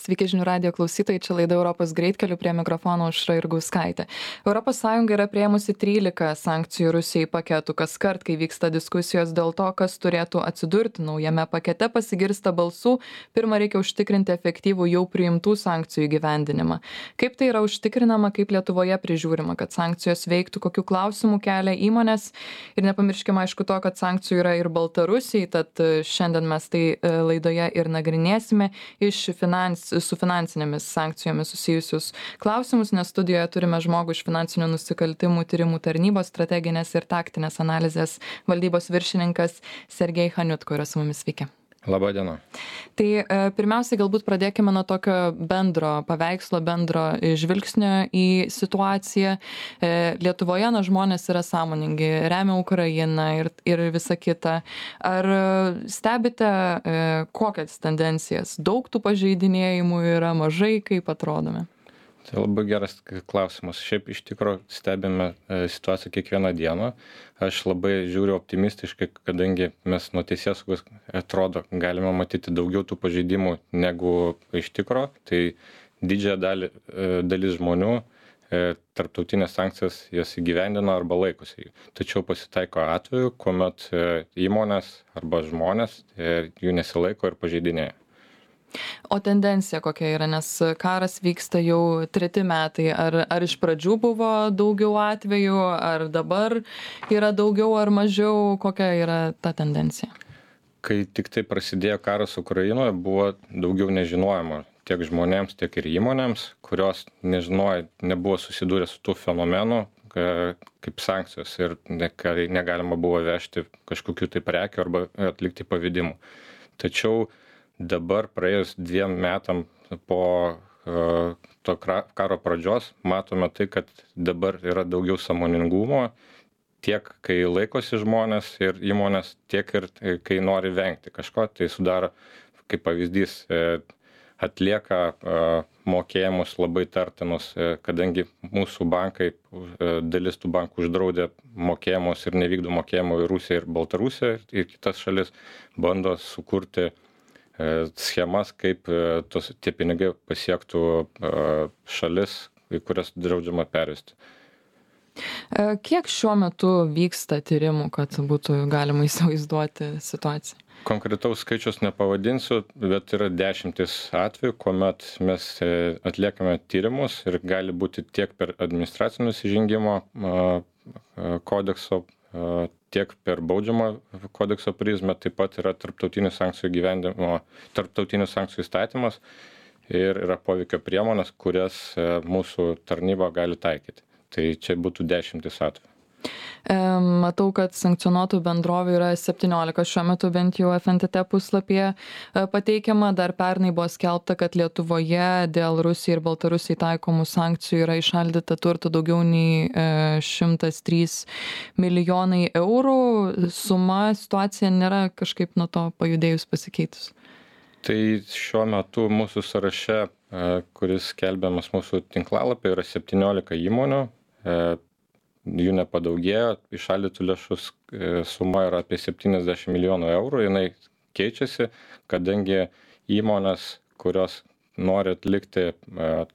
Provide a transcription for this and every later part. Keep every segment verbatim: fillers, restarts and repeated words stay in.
Sveiki žinių radijo klausytojai, čia laida Europos greitkeliu, prie mikrofono Aušra Jurgauskaitė. Europos Sąjunga yra priėmusi trylika sankcijų Rusijai paketų. Kas kart, kai vyksta diskusijos dėl to, kas turėtų atsidurti naujame pakete, pasigirsta balsų. Pirma, reikia užtikrinti efektyvų jau priimtų sankcijų įgyvendinimą. Kaip tai yra užtikrinama, kaip Lietuvoje prižiūrima, kad sankcijos veiktų, kokių klausimų kelia įmonės. Ir nepamirškime aišku to, kad sankcijų yra ir Baltarusijai, tad šiandien mes tai laidoje ir nagrinėsime iš finans, su finansinėmis sankcijomis susijusius klausimus, nes studijoje turime žmogų iš finansinių nusikaltimų tyrimų tarnybos strateginės ir taktinės analizės valdybos viršininkas Sergej Haniutko yra su mumis. Sveiki. Labą dieną. Tai e, pirmiausiai galbūt pradėkime nuo tokio bendro paveikslo, bendro žvilgsnio į situaciją. E, Lietuvoje na, žmonės yra sąmoningi, remia Ukrainą ir, ir visa kita. Ar stebite e, kokias tendencijas? Daug tų pažeidinėjimų yra, mažai, kaip atrodome? Tai labai geras klausimas. Šiaip iš tikrųjų stebime situaciją kiekvieną dieną. Aš labai žiūriu optimistiškai, kadangi mes nuo teisėsaugos atrodo galime matyti daugiau tų pažeidimų negu iš tikrųjų. Tai didžiąją dalį, dalis žmonių tarptautinės sankcijas jas įgyvendina arba laikosi. Tačiau pasitaiko atveju, kuomet įmonės arba žmonės jų nesilaiko ir pažeidinėja. O tendencija kokia yra, nes karas vyksta jau treti metai. Ar, ar iš pradžių buvo daugiau atvejų, ar dabar yra daugiau ar mažiau, kokia yra ta tendencija? Kai tik tai prasidėjo karas Ukrainoje, buvo daugiau nežinojimo tiek žmonėms, tiek ir įmonėms, kurios nežinojo, nebuvo susidūrę su tų fenomenu kaip sankcijos ir negalima buvo vežti kažkokių tai prekių arba atlikti pavedimų. Tačiau dabar praėjus dviem metam po uh, to karo pradžios matome tai, kad dabar yra daugiau sąmoningumo, tiek kai laikosi žmonės ir įmonės, tiek ir kai nori vengti kažko. Tai sudaro, kaip pavyzdys, atlieka uh, mokėjimus labai tartinus, kadangi mūsų bankai, uh, dalis tų bankų uždraudė mokėjimus ir nevykdo mokėjimų į Rusiją ir Baltarusiją ir kitas šalis, bando sukurti schemas, kaip tos, tie pinigai pasiektų šalis, į kurias draudžiama pervesti. Kiek šiuo metu vyksta tyrimų, kad būtų galima įsivaizduoti situaciją? Konkretaus skaičius nepavadinsiu, bet yra dešimtis atvejų, kuomet mes atliekame tyrimus ir gali būti tiek per administracinio nusižengimo kodekso, tiek per baudžiamo kodekso prizmę, taip pat yra tarptautinių sankcijų gyvendimo, tarptautinių sankcijų įstatymas ir yra poveikio priemonės, kurias mūsų tarnyba gali taikyti. Tai čia būtų dešimtis atvejų. Matau, kad sankcionuotų bendrovių yra septyniolika, šiuo metu bent jau F N T T puslapyje pateikiama. Dar pernai buvo skelbta, kad Lietuvoje dėl Rusijai ir Baltarusijai taikomų sankcijų yra įšaldyta turto daugiau nei šimtas trys milijonai eurų. Suma, situacija nėra kažkaip nuo to pajudėjus pasikeitus. Tai šiuo metu mūsų sąraše, kuris skelbiamas mūsų tinklalapyje, yra septyniolika įmonių. Jų nepadaugėjo, įšaldytų lėšų suma yra apie septyniasdešimt milijonų eurų, jinai keičiasi, kadangi įmonės, kurios nori atlikti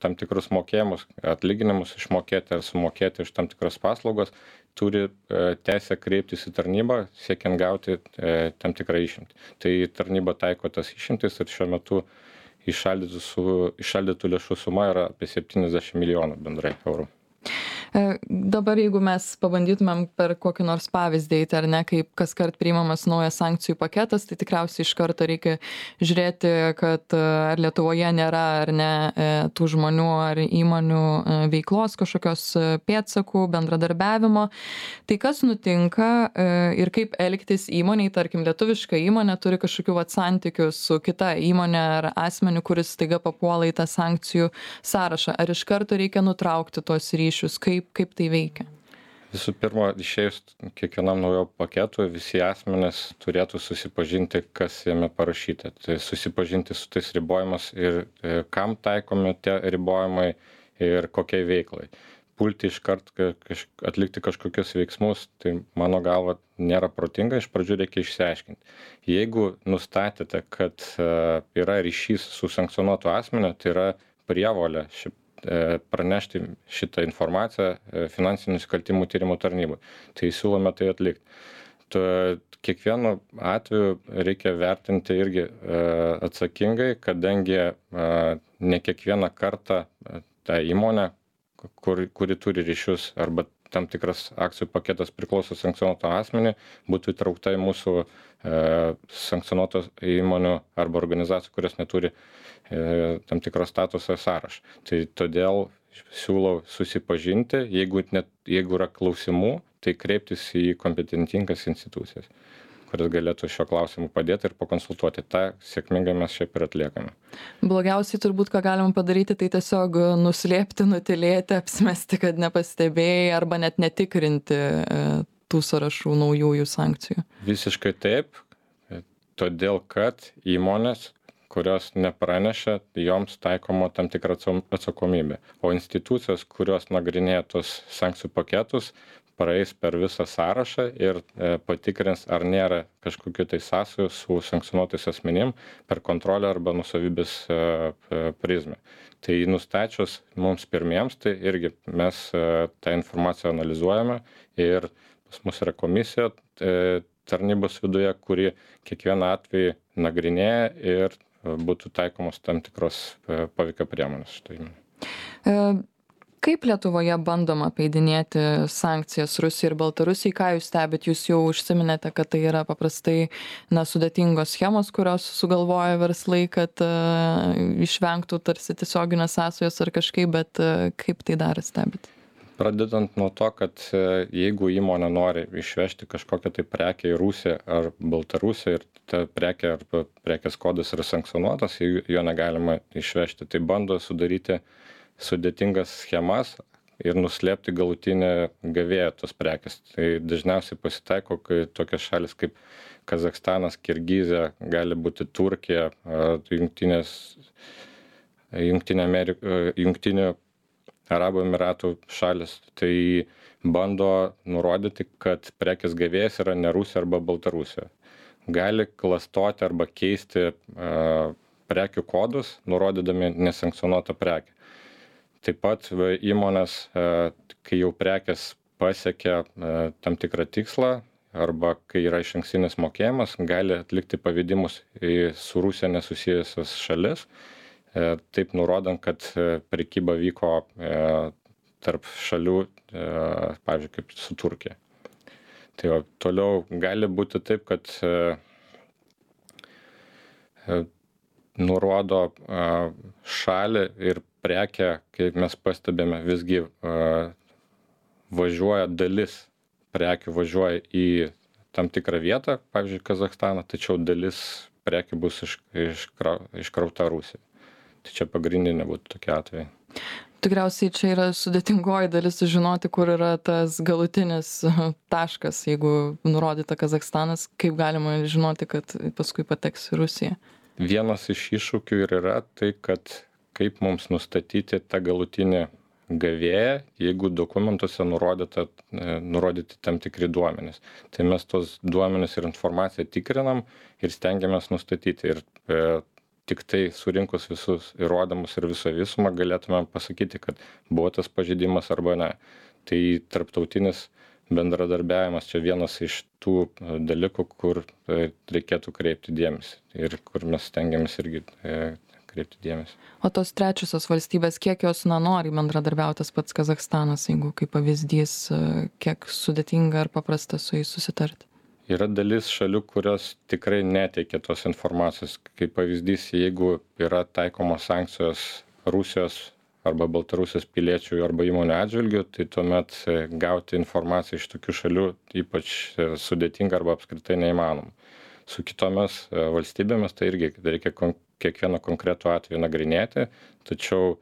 tam tikrus mokėjimus, atlyginimus išmokėti ar sumokėti už tam tikras paslaugos, turi teisę kreiptis į tarnybą, siekiant gauti tam tikrą išimtį. Tai tarnyba taiko tas išimtis ir šiuo metu įšaldytų, su, įšaldytų lėšų suma yra apie septyniasdešimt milijonų bendrai eurų. Dabar jeigu mes pabandytumėm per kokį nors pavyzdį eiti, ar ne, kaip kas kart priimamas naujas sankcijų paketas, tai tikriausiai iš karto reikia žiūrėti, kad ar Lietuvoje nėra ar ne tų žmonių ar įmonių veiklos kažkokios pėdsakų, bendradarbiavimo. Tai kas nutinka ir kaip elgtis įmoniai, tarkim, lietuviška įmonė turi kažkokių vat santykių su kita įmonė ar asmeniu, kuris staiga papuola į tą sankcijų sąrašą. Ar iš karto reikia nutraukti tuos ryšius? Kaip kaip tai veikia? Visų pirma, išėjus kiekvienam naujo paketui, visi asmenys turėtų susipažinti, kas jame parašyta. Tai susipažinti su tais ribojimas ir kam taikomi tie ribojimai ir kokiai veiklai. pulti iškart kaž atlikti kažkokius veiksmus, tai mano galva nėra protinga, iš pradžių reikia išsiaiškinti. Jeigu nustatėte, kad yra ryšys su sankcionuotu asmeniu, tai yra prievolė ši, pranešti šitą informaciją finansinių nusikaltimų tyrimų tarnybai. Tai siūlome tai atlikti. Kiekvienu atveju reikia vertinti irgi atsakingai, kadangi ne kiekvieną kartą ta įmonė, Kur, kuri turi ryšius arba tam tikras akcijų paketas priklauso sankcionuoto asmenį, būtų įtraukta į mūsų e, sankcionuotos įmonių arba organizacijų, kurios neturi e, tam tikros statuso sąrašą. Tai todėl siūlau susipažinti, jeigu, net, jeigu yra klausimų, tai kreiptis į kompetentingas institucijas, kuris galėtų šio klausimu padėti ir pakonsultuoti. Ta sėkmingai mes šiaip ir atliekame. Blogiausiai turbūt, ką galima padaryti, tai tiesiog nuslėpti, nutilėti, apsimesti, kad nepastebėjai arba net netikrinti tų sąrašų naujųjų sankcijų. Visiškai taip, todėl kad įmonės, kurios nepranešė, joms taikoma tam tikra atsakomybė. O institucijos, kurios nagrinėja tos sankcijų paketus, praeis per visą sąrašą ir e, patikrins, ar nėra kažkokių tai sąsajų su sankcionuotais asmenim per kontrolę arba nusavybės e, prizmę. Tai nustačius mums pirmiems, tai irgi mes e, tą informaciją analizuojame ir pas mus yra komisija e, tarnybos viduje, kuri kiekvieną atvejį nagrinėja ir būtų taikomos tam tikros e, poveikio priemonės štai. E... Kaip Lietuvoje bandoma apeidinėti sankcijas Rusijai ir Baltarusijai? Ką jūs stebit? Jūs jau užsiminėte, kad tai yra paprastai na, sudėtingos schemos, kurios sugalvoja verslai, kad uh, išvengtų tarsi tiesioginės sąsajos ar kažkaip, bet uh, kaip tai dar stebit? Pradedant nuo to, kad jeigu įmonė nori išvežti kažkokią tai prekę į Rusiją ar Baltarusiją ir ta prekė arba prekės kodas yra sankcionuotas, jo negalima išvežti, tai bando sudaryti sudėtingas schemas ir nuslėpti galutinę gavėją tos prekės. Tai dažniausiai pasitaiko, kai tokios šalis kaip Kazachstanas, Kirgizija, gali būti Turkija, jungtinės, jungtinė Amerika, jungtinių Arabų Emiratų šalis, tai bando nurodyti, kad prekės gavėjas yra ne Rusija arba Baltarusija. Gali klastoti arba keisti uh, prekių kodus, nurodydami nesankcionuotą prekę. Taip pat įmonės, kai jau prekės pasiekia tam tikrą tikslą arba kai yra išankstinis mokėjimas, gali atlikti pavedimus į su Rusija nesusijusias šalis, taip nurodant, kad prekyba vyko tarp šalių, pavyzdžiui, kaip su Turkija. Tai va, toliau gali būti taip, kad nurodo šalį ir prekę, kaip mes pastebėme, visgi uh, važiuoja dalis prekių važiuoja į tam tikrą vietą, pavyzdžiui, Kazachstaną, tačiau dalis prekių bus iš, iškrau, iškrauta Rusija. Tai čia pagrindinė būtų tokia atvejai. Tikriausiai čia yra sudėtingoji dalis sužinoti, kur yra tas galutinis taškas, jeigu nurodyta Kazachstanas, kaip galima žinoti, kad paskui pateks į Rusiją. Vienas iš iššūkių ir yra tai, kad kaip mums nustatyti tą galutinį gavėją, jeigu dokumentuose nurodyta, nurodyti tam tikri duomenys. Tai mes tos duomenys ir informaciją tikrinam ir stengiamės nustatyti. Ir e, tik tai surinkus visus įrodymus ir visą visumą galėtume pasakyti, kad buvo tas pažeidimas arba ne. Tai tarptautinis bendradarbiavimas čia vienas iš tų dalykų, kur reikėtų kreipti dėmesį ir kur mes stengiamės irgi e, kreipti dėmesį. O tos trečiosios valstybės, kiek jos na, nori bendradarbiauti, tas pats Kazachstanas, jeigu kaip pavyzdys, kiek sudėtinga ar paprasta su jais susitarti? Yra dalis šalių, kurios tikrai neteikia tos informacijos. Kaip pavyzdys, jeigu yra taikomos sankcijos Rusijos arba Baltarusijos piliečių arba įmonių atžvilgių, tai tuomet gauti informaciją iš tokių šalių ypač sudėtinga arba apskritai neįmanoma. Su kitomis valstybėmis tai irgi reikia kiekvieną konkretų atvejį nagrinėti, tačiau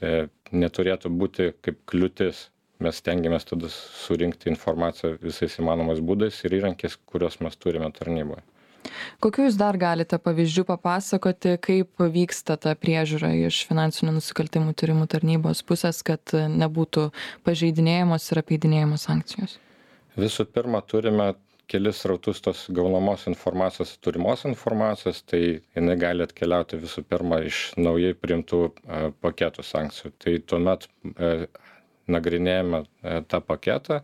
e, neturėtų būti kaip kliūtis. Mes stengiamės tada surinkti informaciją visais įmanomais būdais ir įrankis, kuriuos mes turime tarnyboje. Kokių jūs dar galite pavyzdžių papasakoti, kaip vyksta ta priežiūra iš finansinių nusikaltimų tyrimų tarnybos pusės, kad nebūtų pažeidinėjamos ir apeidinėjamos sankcijos? Visų pirma, turime kelis rautus tos gaunamos informacijos, turimos informacijos, tai jinai gali atkeliauti visų pirma iš naujai priimtų paketų sankcijų. Tai tuomet nagrinėjame tą paketą,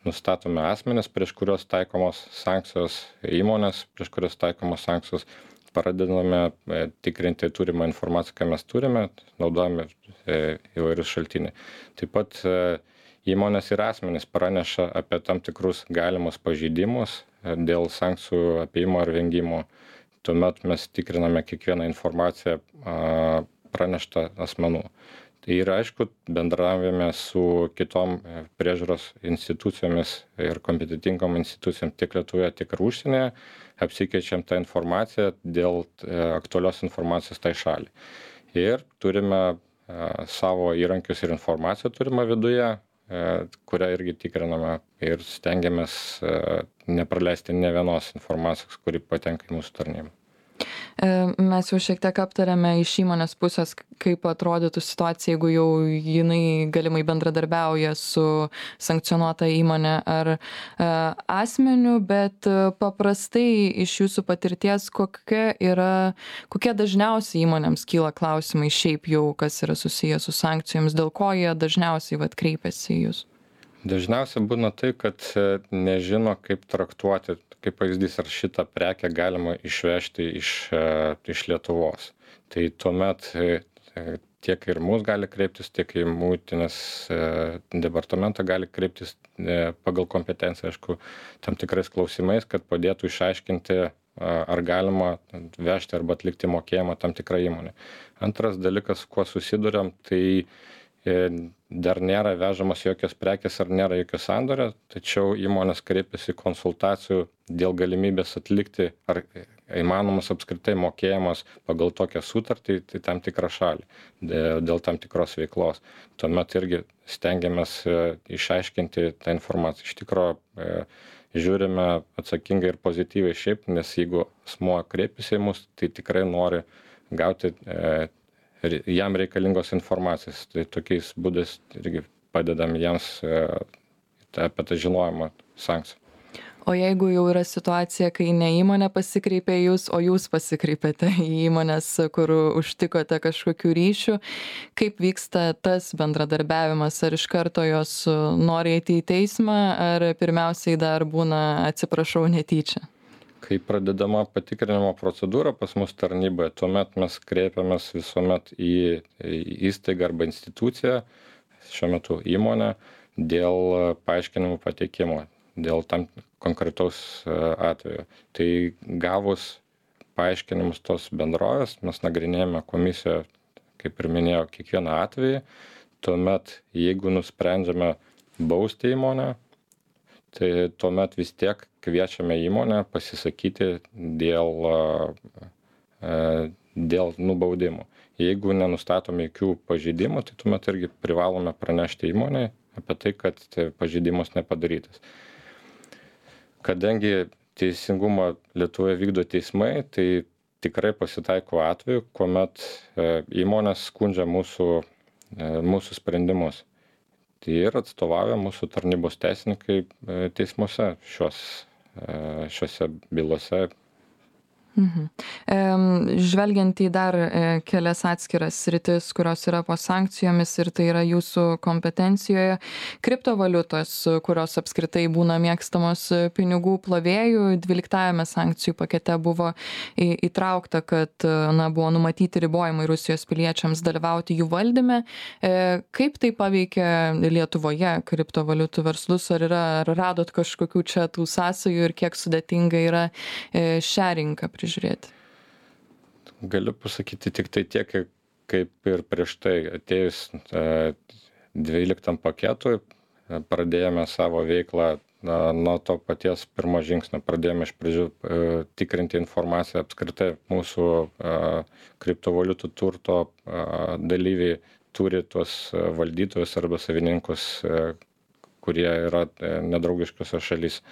nustatome asmenis, prieš kurios taikomos sankcijos, įmonės, prieš kurios taikomos sankcijos, pradedame tikrinti turimą informaciją, ką mes turime, naudojame įvairius šaltiniai. Taip pat įmonės ir asmenys praneša apie tam tikrus galimus pažeidimus dėl sankcijų apėjimo ar vengimo. Tuomet mes tikriname kiekvieną informaciją praneštą asmenų. Tai yra, aišku, bendravime su kitom priežiūros institucijomis ir kompetitingom institucijom tiek Lietuvoje, tiek ir užsienyje, apsikeičiam tą informaciją dėl aktualios informacijos tai šaliai. Ir turime savo įrankius ir informaciją turime viduje, kurią irgi tikriname ir stengiamės nepraleisti ne vienos informacijos, kuri patenka į mūsų tarnybą. Mes jau šiek tiek aptarėme iš įmonės pusės, kaip atrodytų situacija, jeigu jau jinai galimai bendradarbiauja su sankcionuota įmonė ar asmeniu, bet paprastai iš jūsų patirties, kokia yra, kokie dažniausiai įmonėms kyla klausimai šiaip jau, kas yra susijęs su sankcijomis, dėl ko jie dažniausiai vat kreipiasi į jūs? Dažniausiai būna tai, kad nežino, kaip traktuoti, kaip pavyzdys, ar šitą prekę galima išvežti iš, iš Lietuvos. Tai tuomet tiek ir mus gali kreiptis, tiek į muitinės departamentą gali kreiptis pagal kompetenciją, aišku, tam tikrais klausimais, kad padėtų išaiškinti, ar galima vežti arba atlikti mokėjimą tam tikrą įmonę. Antras dalykas, kuo susiduriam, tai dar nėra vežamas jokios prekės ar nėra jokio sandorio, tačiau įmonės kreipiasi konsultacijų dėl galimybės atlikti ar įmanomas apskritai mokėjimas pagal tokią sutartį, tai tam tikrą šalį, dėl tam tikros veiklos. Tuomet irgi stengiamės išaiškinti tą informaciją. Iš tikrųjų, žiūrime atsakingai ir pozityviai šiaip, nes jeigu asmuo kreipiasi į mus, tai tikrai nori gauti jam reikalingos informacijos. Tai tokiais būdais irgi padedam jiems apie tą žinojimą sankcijų. O jeigu jau yra situacija, kai ne įmonė pasikreipė jūs, o jūs pasikreipėte į įmonės, kur užtikote kažkokių ryšių, kaip vyksta tas bendradarbiavimas? Ar iš karto jos nori eiti į teismą, ar pirmiausiai dar būna atsiprašau netyčia? Kai pradedama patikrinimo procedūra pas mus tarnyboje, tuomet mes kreipiamės visuomet į įstaigą arba instituciją, šiuo metu įmonę, dėl paaiškinimų pateikimo, dėl tam konkretaus atveju. Tai gavus paaiškinimus tos bendrovės, mes nagrinėjame komisiją, kaip ir minėjau, kiekvieną atvejį. Tuomet, jeigu nusprendžiame bausti įmonę, tai tuomet vis tiek kviečiame įmonę pasisakyti dėl, dėl nubaudimų. Jeigu nenustatome jokių pažeidimų, tai tuomet irgi privalome pranešti įmonei apie tai, kad pažeidimas nepadarytas. Kadangi teisingumą Lietuvoje vykdo teismai, tai tikrai pasitaiko atveju, kuomet įmonės skundžia mūsų, mūsų sprendimus. Tai ir atstovauja mūsų tarnybos teisininkai teismuose šios, šiose bylose. Mhm. Žvelgiant į dar kelias atskiras sritis, kurios yra po sankcijomis ir tai yra jūsų kompetencijoje, kriptovaliutos, kurios apskritai būna mėgstamos pinigų plovėjų, dvyliktajame sankcijų pakete buvo įtraukta, kad na, buvo numatyti ribojimai Rusijos piliečiams dalyvauti jų valdyme. Kaip tai paveikia Lietuvoje kriptovaliutų verslus, ar, yra, ar radot kažkokių čia tų sąsajų ir kiek sudėtinga yra šią rinką prižiūrėti? Galiu pasakyti tik tai tiek, kaip ir prieš tai atėjus dvyliktam paketui, pradėjome savo veiklą nuo to paties pirmo žingsnio. Pradėjome iš pradžių tikrinti informaciją apskritai mūsų kriptovaliutų turto dalyviai turi tuos valdytojus arba savininkus, kurie yra nedraugiškose šalyse.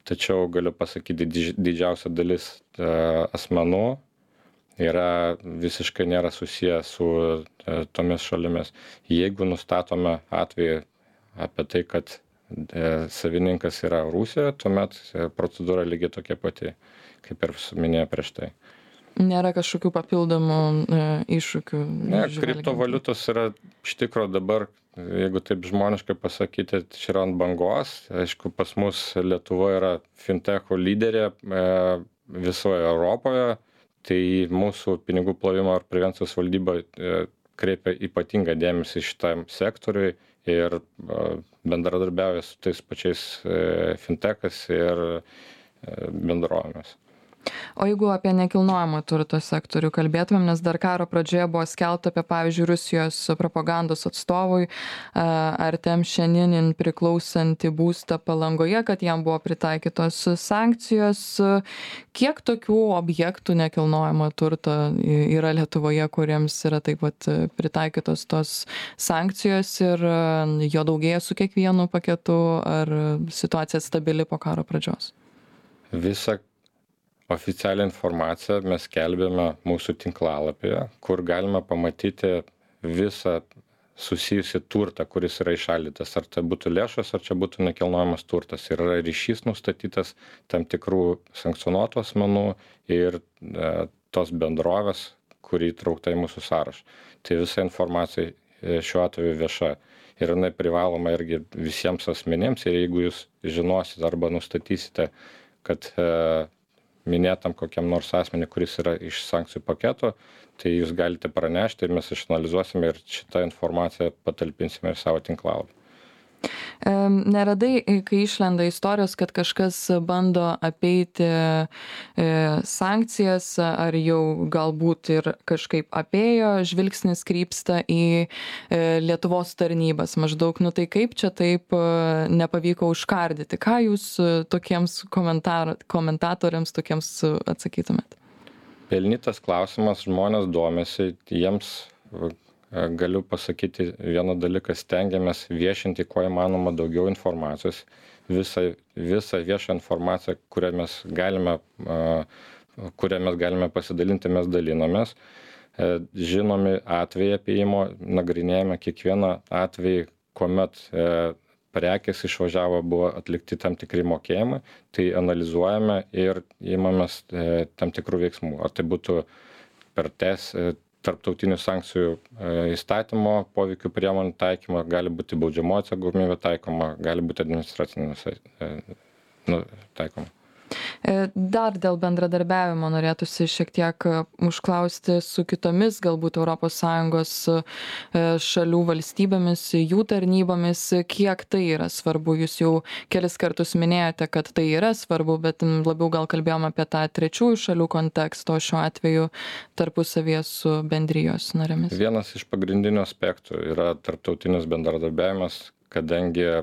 tačiau galiu pasakyti, didžiausia dalis asmenų yra visiškai nėra susiję su tomis šalimis. Jeigu nustatome atvejį apie tai, kad savininkas yra Rusijoje, tuomet procedūra lygiai tokia pati, kaip ir minėjau prieš tai. Nėra kažkokių papildomų e, iššūkių. Ne, kriptovaliutos yra iš tikro dabar, jeigu taip žmoniškai pasakyti, čia yra ant bangos. Aišku, pas mus Lietuva yra fintechų lyderė e, visoje Europoje, tai mūsų pinigų plovimo ir prevencijos valdyba e, kreipia ypatingą dėmesį šitam sektoriui ir e, bendradarbiauja su tais pačiais e, fintechais ir e, bendrovėmis. O jeigu apie nekilnojamo turto sektorių kalbėtumėm, nes dar karo pradžioje buvo skelbta apie, pavyzdžiui, Rusijos propagandos atstovui Artem Pšeninin priklausantį būstą Palangoje, kad jam buvo pritaikytos sankcijos. Kiek tokių objektų nekilnojamo turto yra Lietuvoje, kuriems yra taip pat pritaikytos tos sankcijos ir jo daugėja su kiekvienu paketu, ar situacija stabili po karo pradžios? Visa oficialią informaciją mes skelbėme mūsų tinklalapyje, kur galima pamatyti visą susijusi turtą, kuris yra įšaldytas. Ar tai būtų lėšos, ar čia būtų nekilnojamas turtas. Ir yra ryšys nustatytas tam tikrų sankcionuotų asmenų ir e, tos bendrovės, kuri įtraukta į mūsų sąrašą. Tai visa informacija šiuo atveju vieša. Ir jinai privaloma irgi visiems asmenėms. Ir jeigu jūs žinosit arba nustatysite, kad e, minėtam kokiam nors asmenį, kuris yra iš sankcijų paketo, tai jūs galite pranešti ir mes išanalizuosime ir šitą informaciją patalpinsime į savo tinklalapį. Neradai, kai išlenda istorijos, kad kažkas bando apeiti sankcijas, ar jau galbūt ir kažkaip apėjo, žvilgsnis krypsta į Lietuvos tarnybas. Maždaug, nu tai kaip čia taip nepavyko užkardyti? Ką jūs tokiems komentatoriams tokiems atsakytumėt? Pelnytas klausimas, žmonės domisi, jiems galiu pasakyti vieną dalyką, stengiamės viešinti kuo įmanoma daugiau informacijos. Visą, visą viešą informaciją, kurią mes galime, kurią mes galime pasidalinti, mes dalinamės. Žinomi atvejai apėjimo, nagrinėjame kiekvieną atvejį, kuomet prekės išvažiavo, buvo atlikti tam tikri mokėjimai, tai analizuojame ir imamės tam tikrų veiksmų. Ar tai būtų per tes tarptautinių sankcijų įstatymo poveikių priemonių taikymą, gali būti baudžiamoji atsakomybė taikoma, gali būti administracinė nu, taikoma. Dar dėl bendradarbiavimo norėtųsi šiek tiek užklausti su kitomis galbūt Europos Sąjungos šalių valstybėmis, jų tarnybomis, kiek tai yra svarbu. Jūs jau kelis kartus minėjote, kad tai yra svarbu, bet labiau gal kalbėjom apie tą trečiųjų šalių kontekstą, o šiuo atveju tarpusavyje su bendrijos narėmis. Vienas iš pagrindinių aspektų yra tarptautinis bendradarbiavimas, kadangi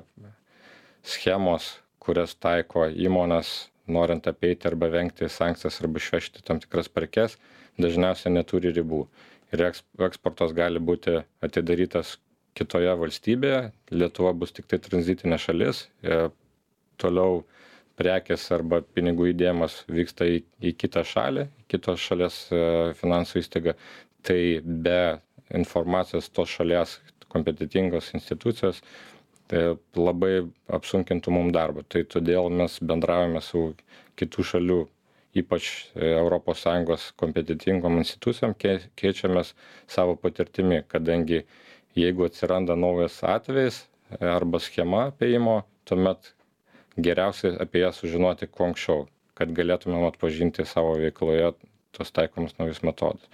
schemos, kurias taiko įmonės, norint apeiti arba vengti sankcijas arba išvežti tam tikras prekes, dažniausiai neturi ribų. Ir eksportas gali būti atidarytas kitoje valstybėje, Lietuva bus tik tai tranzitinė šalis, toliau prekės arba pinigų įdėjimas vyksta į, į kitą šalį, kitos šalies finansų įstaigą, tai be informacijos tos šalies kompetitingos institucijos tai labai apsunkintų mum darbą. Tai todėl mes bendravome su kitų šalių, ypač Europos Sąjungos kompetitingom institucijom, keičiamės savo patirtimi, kadangi jeigu atsiranda naujas atvejis arba schema apėjimo, tuomet geriausiai apie ją sužinoti kuo anksčiau, kad galėtumėm atpažinti savo veikloje tos taikomus naujus metodus.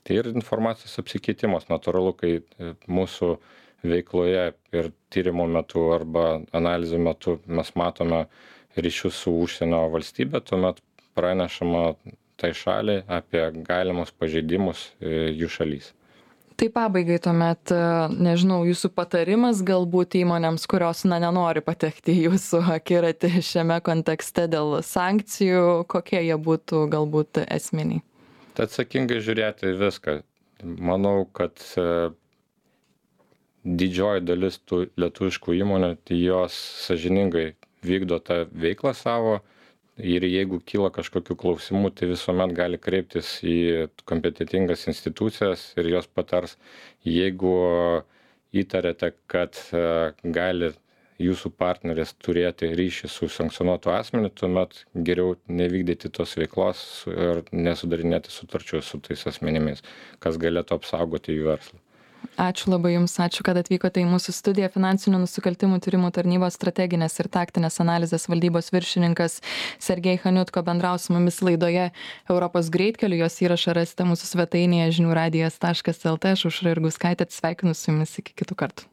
Tai ir informacijos apsikeitimas natūralu, kai mūsų veikloje ir tyrimo metu arba analizų metu mes matome ryšius su užsienio valstybė, tuomet pranešama tai šaliai apie galimus pažeidimus jų šalys. Tai pabaigai tuomet, nežinau, jūsų patarimas galbūt įmonėms, kurios na, nenori patekti į jūsų akiratį šiame kontekste dėl sankcijų, kokie jie būtų galbūt esminiai? Tai atsakingai žiūrėti viską. Manau, kad didžioji dalis tų lietuviškų įmonių, tai jos sąžiningai vykdo tą veiklą savo. Ir jeigu kyla kažkokių klausimų, tai visuomet gali kreiptis į kompetitingas institucijas ir jos patars. Jeigu įtarėte, kad gali jūsų partneris turėti ryšį su sankcionuotu asmeniu, tuomet geriau nevykdyti tos veiklos ir nesudarinėti sutarčių su tais asmenimis, kas galėtų apsaugoti jų verslą. Ačiū labai Jums, ačiū, kad atvykote į mūsų studiją. Finansinių nusikaltimų tyrimų tarnybos strateginės ir taktinės analizės valdybos viršininkas Sergej Chaniutko bendravo su mumis laidoje Europos greitkeliu. Jos įrašą rasite mūsų svetainėje žinių radijas taškas lt. Aš Aušra Jurgauskaitė atsisveikinu su Jumis iki kitų kartų.